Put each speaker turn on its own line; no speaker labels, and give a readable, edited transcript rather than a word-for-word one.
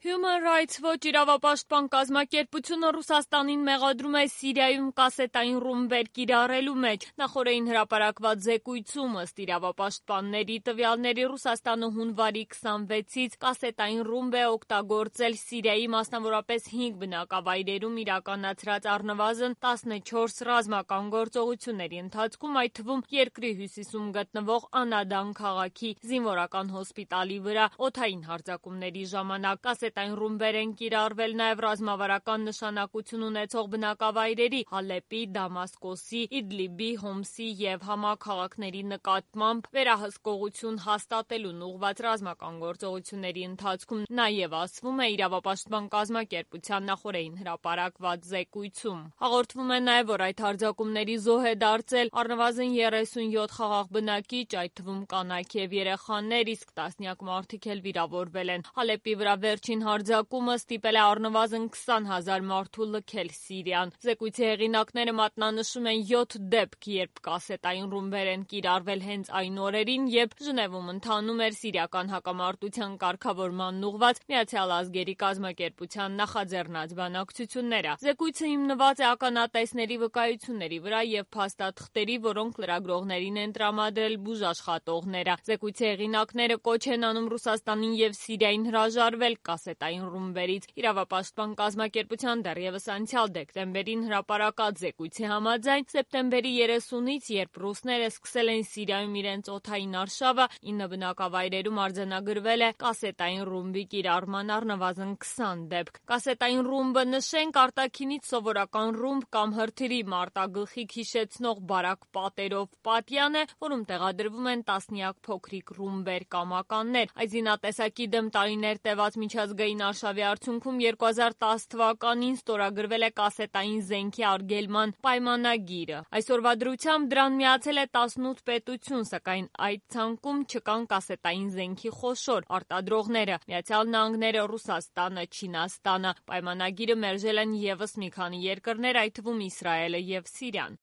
Human Rights Watch իրավապաշտպան կազմակերպությունը Ռուսաստանին մեղադրում է Սիրիայում կասետային ռումբեր կիրառելու մեջ։ Նախօրեին հրապարակված զեկույցում ըստ իրավապաշտպանների տվյալների Ռուսաստանը հունվարի 26-ից կասետային ռումբ է օգտագործել Սիրիայի մասնավորապես 5 բնակավայրերում իրականացրած առնվազն 14 ռազմական գործողությունների ընթացքում, այդ թվում երկրի հյուսիսում գտնվող Անադան քաղաքի զինվորական հոսպիտալի վրա օդային հարձակումների ժամանակ կասետային ռումբեր են կիրառվել նաև ռազմավարական նշանակություն ունեցող բնակավայրերի Հալեպի, Դամասկոսի, Իդլիբի, Հոմսի և Համա քաղաքների նկատմամբ վերահսկողություն հաստատելուն ուղղված ռազմական գործողությունների ընթացքում, նաև ասվում է իրավապաշտպան կազմակերպության նախօրեին հրապարակված զեկույցում։ Հաղորդվում է նաև, որ այդ հարձակումների զոհ է դարձել առնվազն 37 խաղաղ բնակիչ, այդ թվում կանայք և երեխաներ, իսկ տասնյակ մարդիկ էլ վիրավորվել են։ Հալեպի վրա վերջին հարձակումը ստիպել է առնվազն 20,000 մարդու լքել Սիրիան։ Զեկույցի հեղինակները մատնանշում են 7 դեպք, երբ կասետային ռումբեր են կիրառվել հենց այն օրերին, երբ Ժնևում ընթանում էր սիրիական հակամարտության կարգավորմանն ուղղված Միացյալ ազգերի կազմակերպության նախաձեռնած բանակցությունները։ Զեկույցը հիմնված է ականատեսների վկայությունների վրա և փաստաթղթերի, որոնք լրագրողներին են տրամադրել բուժաշխատողները։ Զեկույցի հեղինակները կոչ են անում Ռուսաստանին և Սիրիային հրաժարվել կասետային ռումբերից։ Իրավապաշտպան կազմակերպության դեռևս անցյալ դեկտեմբերին հրապարակած զեկույցի համաձայն սեպտեմբերի 30-ից, երբ ռուսները սկսել են Սիրիայում իրենց օդային արշավը, 9 բնակավայրերում արձանագրվել է կասետային ռումբի կիրառման առնվազն 20 դեպք։ Կասետային ռումբը, նշենք, արտաքինից սովորական ռումբ կամ հրթիռի մարտագլխիկ հիշեցնող բարակ պատերով պատյան է, որում տեղադրվում են տասնյակ փոքրիկ ռումբեր կամ ականներ։ Այս զինատեսակի դեմ տարիներ տևած միջազգային արշավի արդյունքում 2010 թվականին ստորագրվել է կասետային զենքի արգելման պայմանագիրը։ Այսօրվա դրությամբ դրան միացել է 18 պետություն, սակայն այդ ցանկում չկան կասետային զենքի խոշոր արտադրողները՝ Միացյալ Նահանգները, Ռուսաստանը, Չինաստանը։ Պայմանագիրը մերժել են ևս մի քանի երկրներ, այդ թվում Իսրայելը և Սիրիան։